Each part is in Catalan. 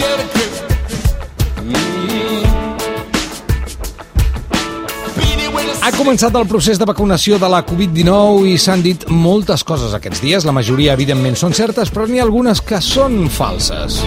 get a grip. Ha començat el procés de vacunació de la Covid-19 i s'han dit moltes coses aquests dies. La majoria, evidentment, són certes, però n'hi ha algunes que són falses.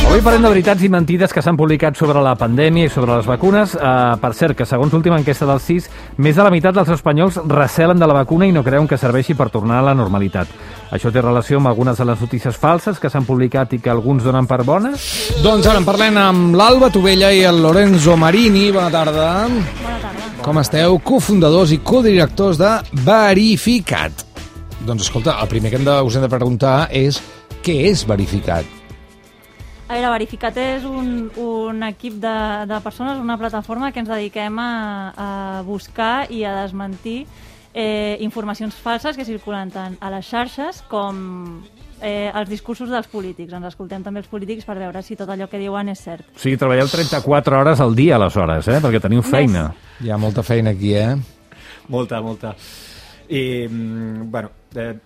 Avui parlem de veritats i mentides que s'han publicat sobre la pandèmia i sobre les vacunes. Per cert, que segons l'última enquesta del CIS, més de la meitat dels espanyols recelen de la vacuna i no creuen que serveixi per tornar a la normalitat. Això té relació amb algunes de les notícies falses que s'han publicat i que alguns donen per bones? Doncs ara en parlem amb l'Alba Tovella i el Lorenzo Marini. Bona tarda. Bona tarda. Com esteu? Cofundadors i codirectors de Verificat. Doncs escolta, el primer que us hem de preguntar és què és Verificat? A veure, Verificat és un equip de persones, una plataforma que ens dediquem a buscar i a desmentir informacions falses que circulen tant a les xarxes com els discursos dels polítics. Ens escoltem també els polítics per veure si tot allò que diuen és cert. O sigui, treballeu 34 hores al dia, aleshores, perquè teniu feina. Hi ha molta feina aquí, Molta. I, bueno,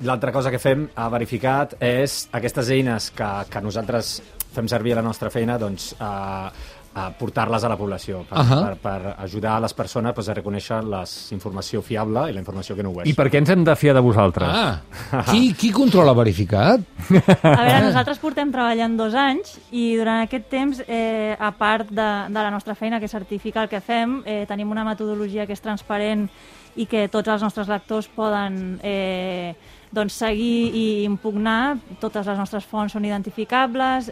l'altra cosa que fem a Verificat és aquestes eines que nosaltres fem servir a la nostra feina, doncs, a portar-les a la població per ajudar a les persones a reconèixer la informació fiable i la informació que no ho és. I per què ens hem de fiar de vosaltres? Qui controla Verificat? A veure, nosaltres portem treballant 2 anys i durant aquest temps, a part de la nostra feina, que és certificar el que fem, tenim una metodologia que és transparent i que tots els nostres lectors poden seguir i impugnar. Totes les nostres fonts són identificables,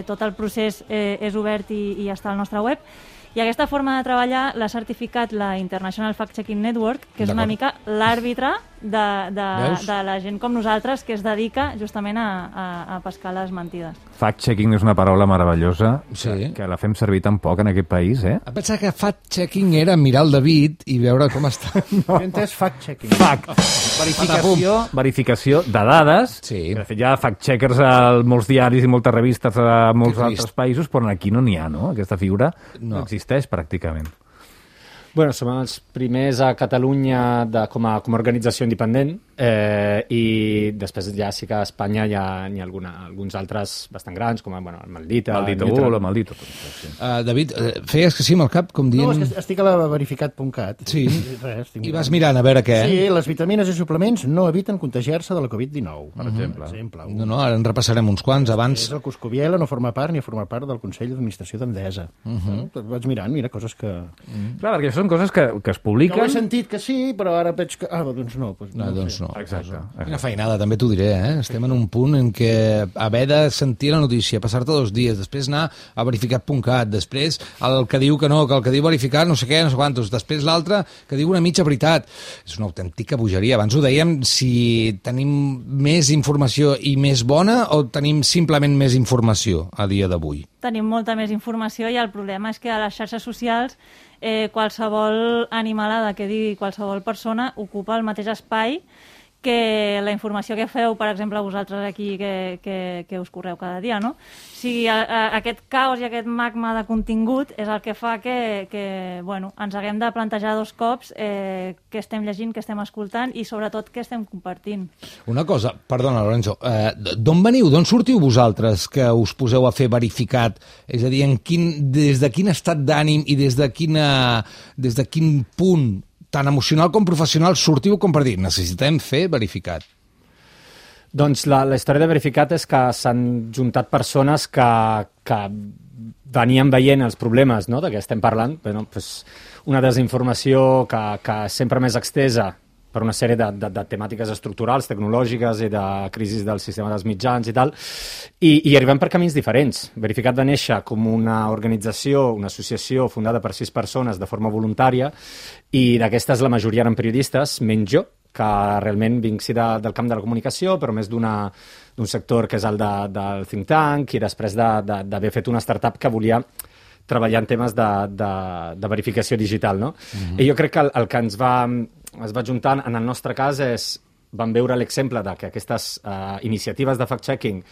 tot el procés és obert i està al nostre web. I aquesta forma de treballar l'ha certificat la International Fact-Checking Network, que és una mica l'àrbitre de la gent com nosaltres que es dedica justament a pescar les mentides. Fact-checking és una paraula meravellosa, Sí. que la fem servir tan poc en aquest país, Em pensava que fact-checking era mirar el David i veure com està. Jo he entès fact-checking. Verificació de dades. Sí. De fet, hi ha fact-checkers a molts diaris i moltes revistes a molts altres països, però aquí no n'hi ha, no? Aquesta figura no existeix pràcticament. Bueno, som els primers a Catalunya com a organització independent i després ja sí que a Espanya hi ha alguns altres bastant grans, com el Maldita. Maldito. Sí. David, feies que sí amb el cap, com dient... No, és que estic a la verificat.cat. Sí, Res, i vas mirant a veure què. Sí, les vitamines i suplements no eviten contagiar-se de la Covid-19, per exemple. No, ara en repassarem uns quants. Abans... El Coscoviela no forma part ni forma part del Consell d'Administració d'Endesa. Vaig mirant, mira, coses que... Clar, perquè són coses que es publiquen... No he sentit que sí, però ara veig que... doncs no. Doncs no. Exacte. Quina feinada, també t'ho diré, Estem en un punt en què haver de sentir la notícia, passar-te 2 dies, després anar a verificat.cat, després el que diu que no, que el que diu verificat no sé què, no sé quantos, després l'altre que diu una mitja veritat. És una autèntica bogeria. Abans ho dèiem, si tenim més informació i més bona o tenim simplement més informació a dia d'avui? Tenim molta més informació i el problema és que a les xarxes socials qualsevol animalada que digui qualsevol persona ocupa el mateix espai que la informació que feu, per exemple, vosaltres aquí que us correu cada dia, no? O sigui, aquest caos i aquest magma de contingut és el que fa que ens haguem de plantejar 2 cops què estem llegint, què estem escoltant i sobretot què estem compartint. Una cosa, perdona, Lorenzo, d'on veniu, d'on sortiu vosaltres que us poseu a fer Verificat? És a dir, des de quin estat d'ànim i des de quin punt tant emocional com professional sortiu com per dir necessitem fer Verificat? Doncs la història de Verificat és que s'han juntat persones que venien veient els problemes, no?, de què estem parlant. Una desinformació que sempre més extesa per una sèrie de temàtiques estructurals, tecnològiques i de crisis del sistema dels mitjans i tal, i arribem per camins diferents. Verificat va néixer com una organització, una associació fundada per 6 persones de forma voluntària, i d'aquestes la majoria eren periodistes, menys jo, que realment vinc del camp de la comunicació, però més d'un sector que és el del think tank, i després d'haver fet una startup que volia treballar en temes de verificació digital, no? I jo crec que el que es va juntant en el nostre cas vam veure l'exemple de que aquestes iniciatives de fact-checking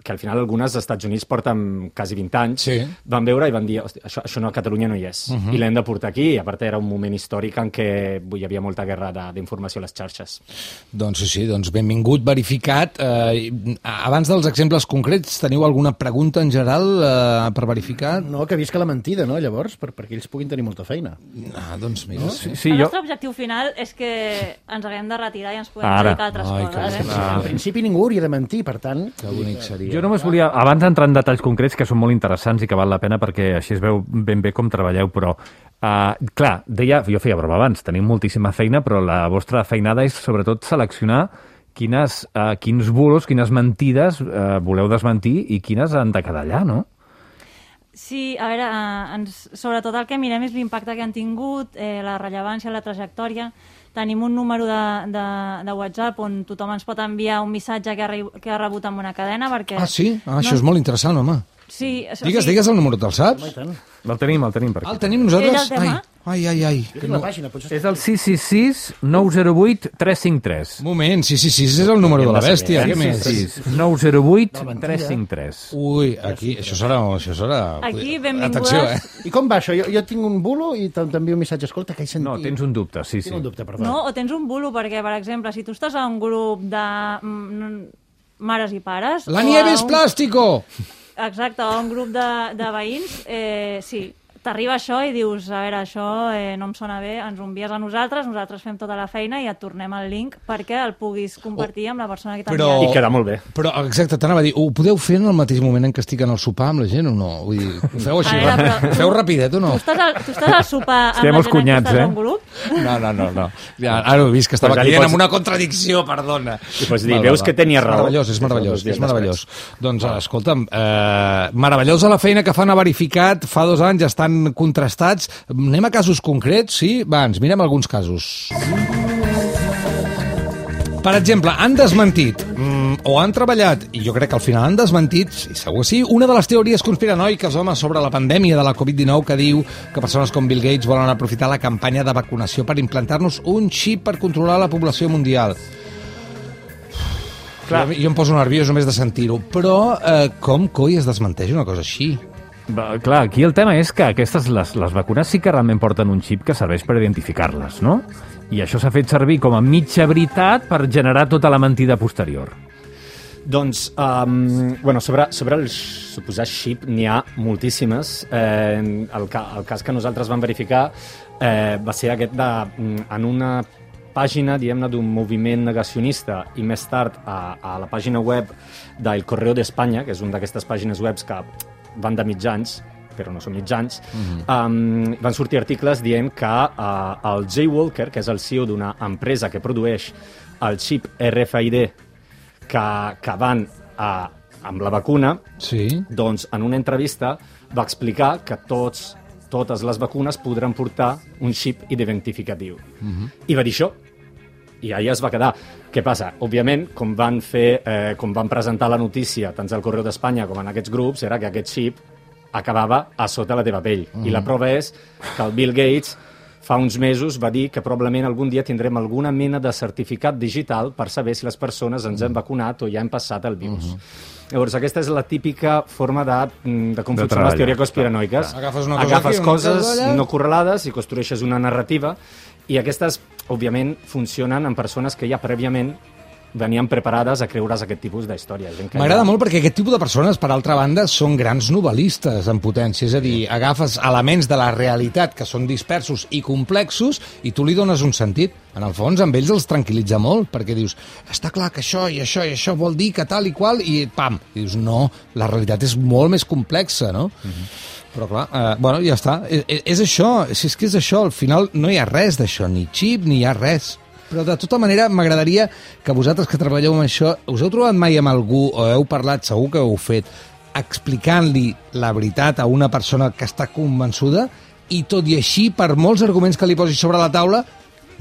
que al final algunes als Estats Units porten quasi 20 anys, Sí. van veure i van dir, "Hosti, això no, a Catalunya no hi és, i l'hem de portar aquí", i a part era un moment històric en què hi havia molta guerra d'informació a les xarxes. Doncs sí, doncs benvingut, verificat. Abans dels exemples concrets, teniu alguna pregunta en general per verificar? No, que visca la mentida, no, llavors, perquè ells puguin tenir molta feina. Doncs mira, sí. Sí, El jo... nostre objectiu final és que ens haguem de retirar i ens puguem Ara. dedicar a altres Ai, coses. En principi ningú hauria de mentir, per tant... Que bonic seria. Jo només volia, abans d'entrar en detalls concrets, que són molt interessants i que val la pena perquè així es veu ben bé com treballeu, però, clar, jo feia broma abans, tenim moltíssima feina, però la vostra feinada és sobretot seleccionar quins bulos, quines mentides voleu desmentir i quines han de quedar allà, no? Sí, a veure, sobretot el que mirem és l'impacte que han tingut, la rellevància, la trajectòria. Tenim un número de WhatsApp on tothom ens pot enviar un missatge que ha rebut amb una cadena, perquè... Ah, sí? Això és molt interessant, home. Sí, Digues el número, te'l saps? Home, i tant. El tenim per aquí. El tenim nosaltres? Ell el té, Ai. Jo tinc la pàgina, potser... És el 666-908-353. Moment, sí, és el número de la bèstia. Què més? 908-353. Ui, aquí, això serà... Aquí, benvingudes. Atenció, I com va això? Jo tinc un bulo i t'envio un missatge. Escolta, que he sentit... No, tens un dubte, sí. Tinc un dubte, perdó. No, o tens un bulo, perquè, per exemple, si tu estàs a un grup de mares i pares... La o nieve a és plàstico! Exacte, o un grup de veïns, sí, t'arriba això i dius, a veure, això no em sona bé, ens ho envies a nosaltres fem tota la feina i et tornem el link perquè el puguis compartir amb la persona que t'ha Però- enviat. I queda molt bé. Però, exacte, t'anava a dir, ho podeu fer en el mateix moment en què estic en el sopar amb la gent o no? Vull dir, ho feu així, A veure, però- ho feu rapidet o no? Tu estàs al sopar amb Estem la els gent cunyats, que estàs eh? en grup? No. Ja, ara ho he vist, que estava Pues ara li caient pots- en una contradicció, perdona. I pots dir, veus que tenia raó. És meravellós. Dos dies Doncs, escolta'm, meravellosa la feina que fan a Verificat, fa 2 anys estan contrastats. Anem a casos concrets, sí? Va, ens mirem alguns casos. Per exemple, han desmentit o han treballat, i jo crec que al final han desmentit, i segur sí, una de les teories conspiranoiques, home, sobre la pandèmia de la Covid-19 que diu que persones com Bill Gates volen aprofitar la campanya de vacunació per implantar-nos un xip per controlar la població mundial. Clar. Jo em poso nerviós només de sentir-ho, però com coi es desmenteix una cosa així? Clar, aquí el tema és que aquestes, les vacunes sí que realment porten un xip que serveix per identificar-les, no? I això s'ha fet servir com a mitja veritat per generar tota la mentida posterior. Doncs, sobre el suposat xip n'hi ha moltíssimes. El cas que nosaltres vam verificar va ser aquest en una pàgina, diguem-ne, d'un moviment negacionista i més tard a la pàgina web del Correo d'Espanya, que és una d'aquestes pàgines webs que van de mitjans, però no són mitjans, van sortir articles dient que el Jay Walker, que és el CEO d'una empresa que produeix el xip RFID que van amb la vacuna, Sí. doncs en una entrevista va explicar que totes les vacunes podran portar un xip identificatiu. I va dir això. I allà es va quedar. Què passa? Òbviament, com van presentar la notícia tant al Correu d'Espanya com en aquests grups, era que aquest xip acabava a sota la teva pell. I la prova és que el Bill Gates fa uns mesos va dir que probablement algun dia tindrem alguna mena de certificat digital per saber si les persones ens hem vacunat o ja hem passat el virus. Llavors, aquesta és la típica forma de com funcionen les teories conspiranoiques. Agafes una cosa Agafes aquí, una coses cosa allà. no correlades i construeixes una narrativa, i aquestes, òbviament, funcionen en persones que ja prèviament venien preparades a creure's aquest tipus d'històries. M'agrada molt perquè aquest tipus de persones, per altra banda, són grans novel·listes en potència. És a dir, agafes elements de la realitat que són dispersos i complexos i tu li dones un sentit. En el fons, amb ells els tranquil·litza molt, perquè dius, està clar que això i això i això vol dir que tal i qual, i pam! I dius, no, la realitat és molt més complexa, no? Però clar, bueno, ja està. És això, si és que és això, al final no hi ha res d'això, ni xip, ni hi ha res. Però de tota manera m'agradaria que vosaltres que treballeu amb això, us heu trobat mai amb algú, o heu parlat, segur que ho heu fet, explicant-li la veritat a una persona que està convençuda i tot i així, per molts arguments que li posis sobre la taula,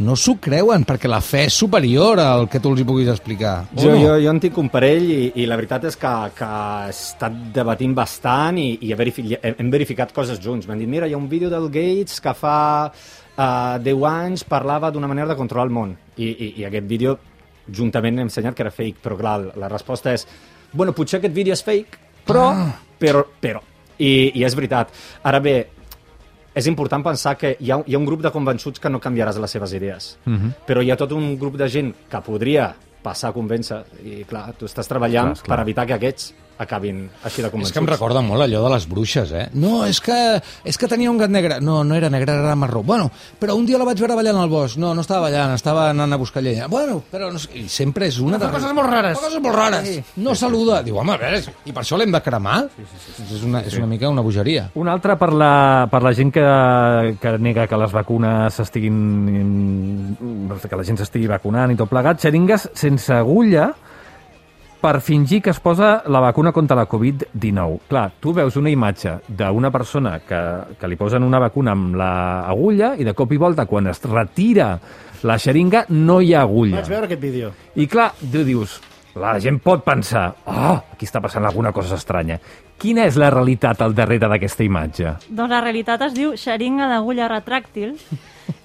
no s'ho creuen, perquè la fe és superior al que tu els hi puguis explicar. Jo en tinc un parell i la veritat és que he estat debatint bastant i hem verificat coses junts. M'han dit, mira, hi ha un vídeo del Gates que fa 10 anys parlava d'una manera de controlar el món. I aquest vídeo juntament hem ensenyat que era fake, però clar, la resposta és bueno, potser aquest vídeo és fake, però... I és veritat. Ara bé, és important pensar que hi ha un grup de convençuts que no canviaràs les seves idees. Però hi ha tot un grup de gent que podria passar a convèncer, i clar, tu estàs treballant per evitar que aquests acabin així de convençuts. És que em recorda molt allò de les bruixes, eh? No, és que tenia un gat negre. No era negre, era marró. Bueno, però un dia la vaig veure ballant al bosc. No estava ballant, estava anant a buscar llenya. Bueno, però no sé... I sempre és una... Fa coses molt rares. Fa coses molt rares. Sí. No saluda. Diu, home, a veure, i per això l'hem de cremar? Sí. És una mica una bogeria. Una altra per la gent que nega que les vacunes que la gent s'estigui vacunant i tot plegat, xeringues sense agulla per fingir que es posa la vacuna contra la Covid-19. Clar, tu veus una imatge d'una persona que li posen una vacuna amb l'agulla i de cop i volta, quan es retira la xeringa, no hi ha agulla. Vaig veure aquest vídeo. I clar, tu dius, la gent pot pensar, aquí està passant alguna cosa estranya. Quina és la realitat al darrere d'aquesta imatge? Doncs la realitat es diu xeringa d'agulla retràctil,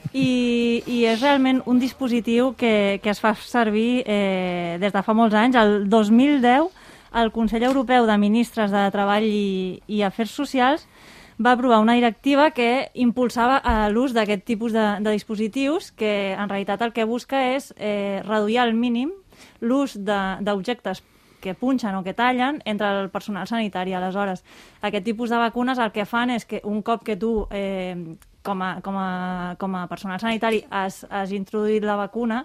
i és realment un dispositiu que es fa servir des de fa molts anys. El 2010, el Consell Europeu de Ministres de Treball i Afers Socials va aprovar una directiva que impulsava l'ús d'aquest tipus de dispositius, que en realitat el que busca és reduir al mínim l'ús d'objectes que punxen o que tallen entre el personal sanitari. Aleshores, aquest tipus de vacunes el que fan és que un cop que tu com a personal sanitari has introduït la vacuna,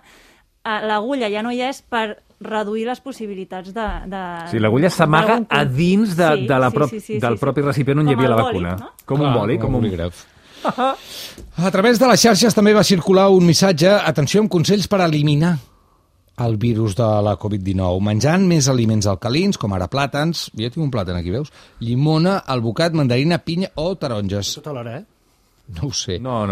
l'agulla ja no hi és per reduir les possibilitats de... Sí, l'agulla s'amaga a dins del propi recipient on hi havia la vacuna. No? Com un bòlic, com un bolígraf. A través de les xarxes també va circular un missatge, atenció, amb consells per eliminar el virus de la Covid-19, menjant més aliments alcalins, com ara plàtans, ja tinc un plàtan aquí, veus? Llimona, alvocat, mandarina, pinya o taronges. Tota l'hora, No ho sé. No,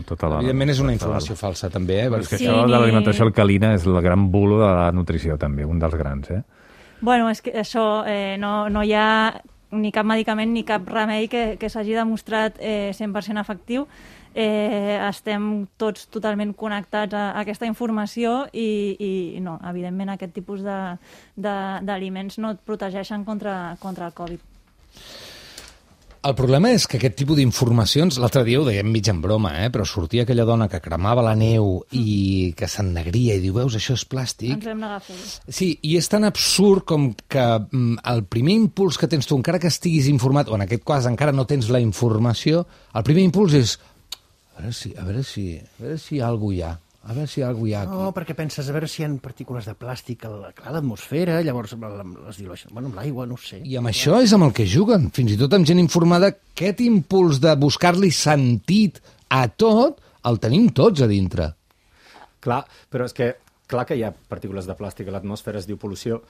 tota l'hora. Evidentment és una informació falsa, també, Però és que això de l'alimentació alcalina és el gran bulo de la nutrició, també, un dels grans, Bueno, és que això no hi ha ni cap medicament ni cap remei que s'hagi demostrat 100% efectiu. Estem tots totalment connectats a aquesta informació i no, evidentment aquest tipus d'aliments no et protegeixen contra el Covid. El problema és que aquest tipus d'informacions, l'altre dia ho dèiem mig en broma, però sortia aquella dona que cremava la neu i que s'ennegria i diu, veus, això és plàstic. Ens vam negar a fer-ho. Sí, i és tan absurd com que el primer impuls que tens tu, encara que estiguis informat, o en aquest cas encara no tens la informació, el primer impuls és a veure si hi ha alguna hi ha. A veure si hi ha alguna hi ha aquí. No, perquè penses, a veure si hi ha partícules de plàstic a l'atmosfera, llavors les dilueixen. Bueno, amb l'aigua, no ho sé. I amb això és amb el que juguen. Fins i tot amb gent informada, aquest impuls de buscar-li sentit a tot, el tenim tots a dintre. Clar, però és que clar que hi ha partícules de plàstic a l'atmosfera, es diu pol·lució,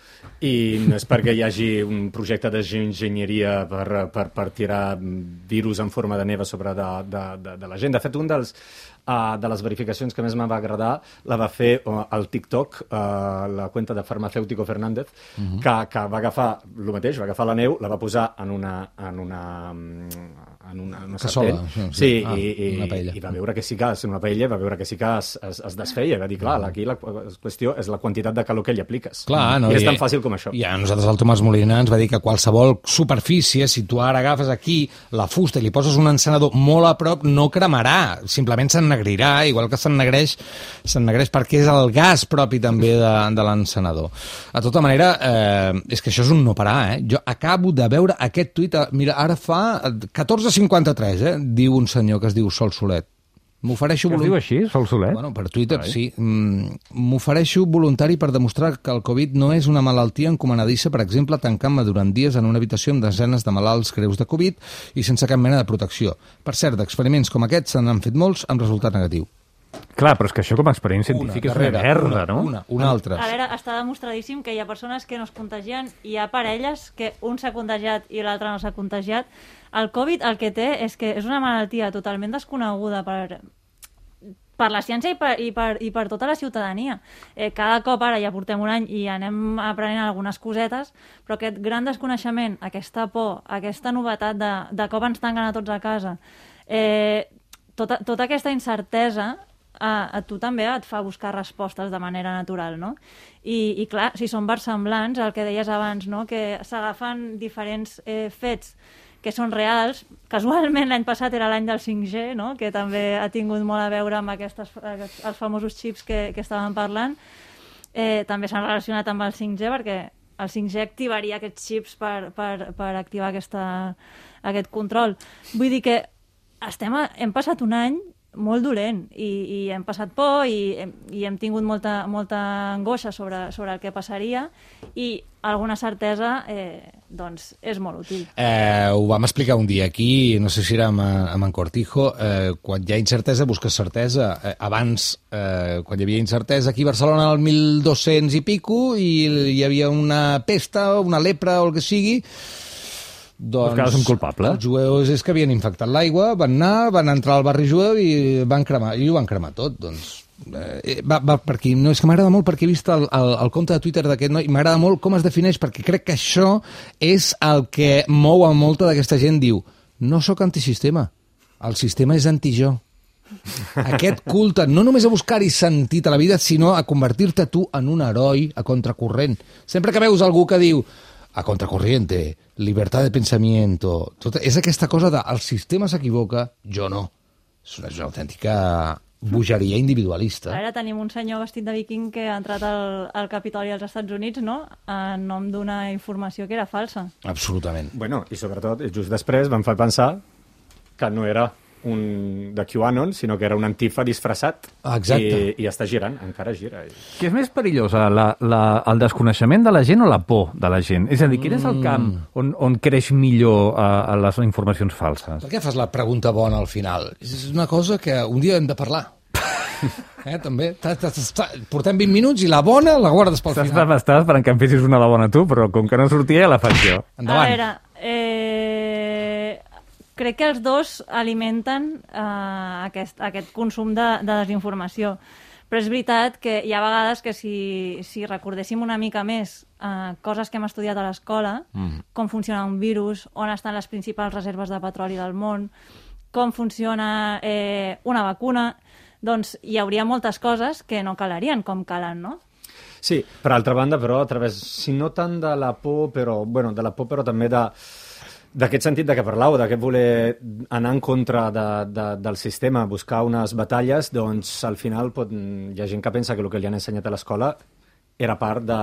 i no és perquè hi hagi un projecte de geoenginyeria per tirar virus en forma de neva sobre de la gent. De fet, un de les verificacions que més m'va agradar la va fer al TikTok, la cuenta de Farmacéutico Fernández, que va agafar el mateix, va agafar la neu, la va posar en una cassola. Sí, i va veure que sí que és una paella, va veure que sí que es desfeia, va dir, clar, aquí la qüestió és la quantitat de calor que hi apliques. Clar, no, I és tan fàcil com això. I a nosaltres el Tomàs Molina ens va dir que qualsevol superfície, si tu ara agafes aquí la fusta i li poses un encenedor molt a prop, no cremarà, simplement s'ennegrirà, igual que s'ennegreix perquè és el gas propi també de l'encenedor. De tota manera, és que això és un no parar, Jo acabo de veure aquest tuit, mira, ara fa 14:53, diu un senyor que es diu Sol Solet. Es diu així, Sol Solet? Bueno, per Twitter, sí. M'ofereixo voluntari per demostrar que el Covid no és una malaltia encomanadissa, per exemple, tancant-me durant dies en una habitació amb desenes de malalts greus de Covid i sense cap mena de protecció. Per cert, d'experiments com aquests se n'han fet molts amb resultat negatiu. Clar, però és que això com a experiment científic és una merda, no? Una altra. Ara està demostradíssim que hi ha persones que no es contagien i hi ha parelles que un s'ha contagiat i l'altre no s'ha contagiat. El Covid el que té és que és una malaltia totalment desconeguda per la ciència i per tota la ciutadania. Cada cop ara ja portem un any i anem aprenent algunes cosetes, però aquest gran desconeixement, aquesta por, aquesta novetat de cop ens tanquen a tots a casa, tota aquesta incertesa a tu també et fa buscar respostes de manera natural, no? I clar, si són versemblants, el que deies abans, no? Que s'agafen diferents fets que són reals. Casualment, l'any passat era l'any del 5G, no? Que també ha tingut molt a veure amb els famosos xips que estàvem parlant. També s'han relacionat amb el 5G perquè el 5G activaria aquests xips per activar aquest control. Vull dir que hem passat un any molt dolent i hem passat por i hem tingut molta angoixa sobre el que passaria i alguna certesa doncs és molt útil. Ho vam explicar un dia aquí, no sé si era amb en Cortijo, quan hi ha incertesa busques certesa. Abans, quan hi havia incertesa aquí a Barcelona al 1200 i pico i hi havia una pesta, una lepra o el que sigui, doncs buscaves un culpable. Els jueus és que havien infectat l'aigua, van entrar al barri jueu i van cremar tot. Doncs per aquí, no, és que m'agrada molt perquè he vist el compte de Twitter d'aquest noi i m'agrada molt com es defineix, perquè crec que això és el que mou a molta d'aquesta gent. Diu, no sóc antisistema, el sistema és anti-jo. Aquest culte, no només a buscar-hi sentit a la vida, sinó a convertir-te tu en un heroi a contracorrent. Sempre que veus algú que diu a contracorriente, libertad de pensamiento, és aquesta cosa de el sistema s'equivoca, jo no. És una autèntica bogeria individualista. Ara tenim un senyor vestit de viking que ha entrat al Capitoli als Estats Units, no?, en nom d'una informació que era falsa. Absolutament. Bueno, i sobretot, just després vam fer pensar que no era un de QAnon, sinó que era un antifa disfressat. Exacte. I està girant, encara gira. Què és més perillós, el desconeixement de la gent o la por de la gent? És a dir, quin és el camp on creix millor a les informacions falses? Per què fas la pregunta bona al final? És una cosa que un dia hem de parlar. També. Portem 20 minuts i la bona la guardes pel final. Estava esperant que em fessis una de bona tu, però com que no sortia, la faig jo. Endavant. A veure, crec que els dos alimenten aquest consum de desinformació. Però és veritat que hi ha vegades que si recordéssim una mica més coses que hem estudiat a l'escola, com funciona un virus, on estan les principals reserves de petroli del món, com funciona una vacuna, doncs hi hauria moltes coses que no calarien com calen, no? Sí, per altra banda, però, a través, si no tant de la por, però també d'aquest sentit de què parlàveu, d'aquest voler anar en contra del sistema, buscar unes batalles, doncs al final hi ha gent que pensa que el que li han ensenyat a l'escola era part de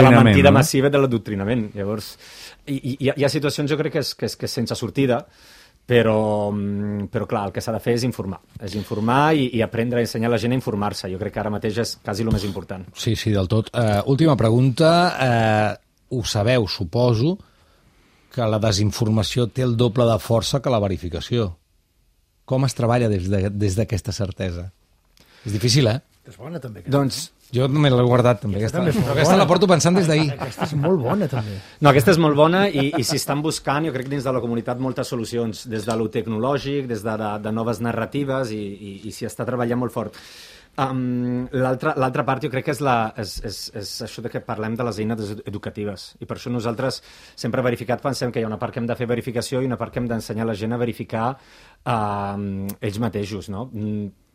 la mentida massiva de l'adoctrinament. Llavors, hi ha situacions, jo crec que és sense sortida, però clar, el que s'ha de fer és informar i aprendre a ensenyar a la gent a informar-se. Jo crec que ara mateix és quasi el més important. Sí, del tot. Última pregunta. Ho sabeu, suposo, que la desinformació té el doble de força que la verificació. Com es treballa des d'aquesta certesa? És difícil, És bona, també. Doncs jo me l'he guardat, també. Aquesta la porto pensant des d'ahir. Aquesta és molt bona, també. No, aquesta és molt bona i s'hi estan buscant, jo crec, dins de la comunitat moltes solucions, des de lo tecnològic, des de noves narratives i s'hi està treballant molt fort. L'altra part jo crec que és això de que parlem de les eines educatives i per això nosaltres sempre verificat pensem que hi ha una part que hem de fer verificació i una part que hem d'ensenyar a la gent a verificar ells mateixos, no?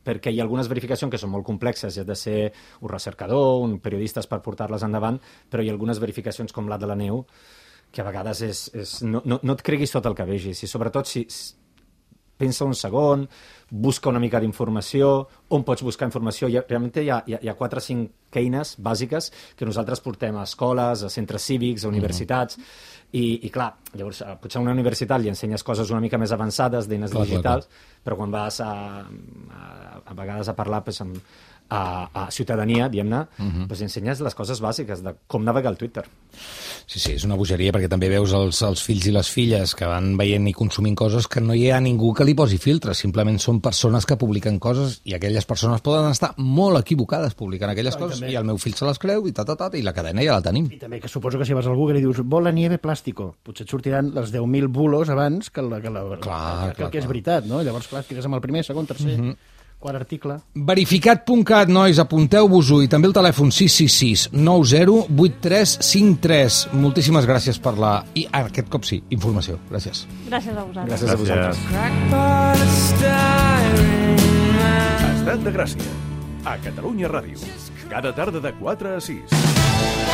Perquè hi ha algunes verificacions que són molt complexes, has de ser un recercador, un periodista per portar-les endavant, però hi ha algunes verificacions com la de la neu que a vegades no et creguis tot el que vegis i sobretot si pensa un segon, busca una mica d'informació, on pots buscar informació. Realment hi ha 4 o 5 eines bàsiques que nosaltres portem a escoles, a centres cívics, a universitats, i clar, llavors potser a una universitat li ensenyes coses una mica més avançades d'eines digitals, però quan vas a vegades a parlar a ciutadania, diguem-ne, doncs ensenyes les coses bàsiques de com navegar al Twitter. Sí, és una bogeria, perquè també veus els fills i les filles que van veient i consumint coses que no hi ha ningú que li posi filtres, simplement són persones que publiquen coses i aquelles persones poden estar molt equivocades publicant aquelles coses i el meu fill se les creu i i la cadena ja la tenim. I també que suposo que si vas a algú que li dius bola nieve plàstico, potser et sortiran les 10.000 bulos abans que el que és veritat, no? Llavors, clar, fiques amb el primer, segon, tercer... Quart article. Verificat.cat, nois, apunteu-vos-ho, i també el telèfon 666 90 8353. Moltíssimes gràcies per i aquest cop sí, informació. Gràcies. Gràcies a vosaltres. Gràcies a vosaltres. Estat de Gràcia. A Catalunya Ràdio. Cada tarda de 4 a 6.